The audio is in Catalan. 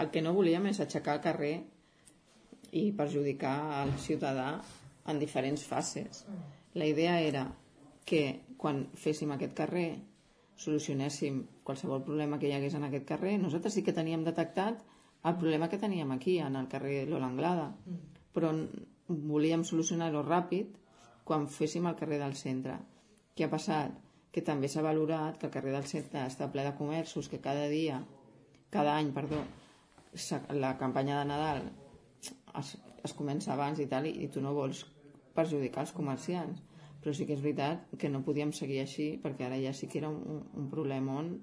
el que no volíem és aixecar el carrer i perjudicar el ciutadà en diferents fases. La idea era que quan féssim aquest carrer solucionéssim qualsevol problema que hi hagués en aquest carrer. Nosaltres sí que teníem detectat el problema que teníem aquí, en el carrer Lola Anglada, però volíem solucionar-ho ràpid quan féssim el carrer del centre. Què ha passat? Que també s'ha valorat que el carrer del centre està ple de comerços, que cada any, la campanya de Nadal es comença abans i tal, i tu no vols perjudicar els comerciants, però sí que és veritat que no podíem seguir així, perquè ara ja sí que era un problemón